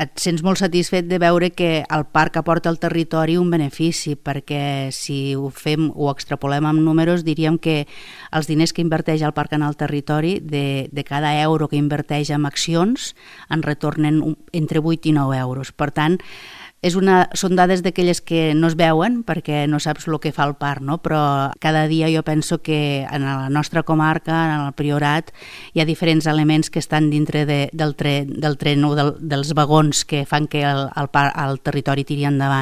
et sents molt satisfet de veure que el parc aporta al territori un benefici, perquè si ho extrapolem amb números, diríem que els diners que inverteix el parc en el territori, de cada euro que inverteix en accions, en retornen entre 8 i 9 euros. Per tant, són dades d'aquelles que no es veuen perquè no saps el que fa el parc, no? Però cada dia jo penso que en la nostra comarca, en el Priorat, hi ha diferents elements que estan dintre del tren o dels vagons que fan que el territori tiri endavant.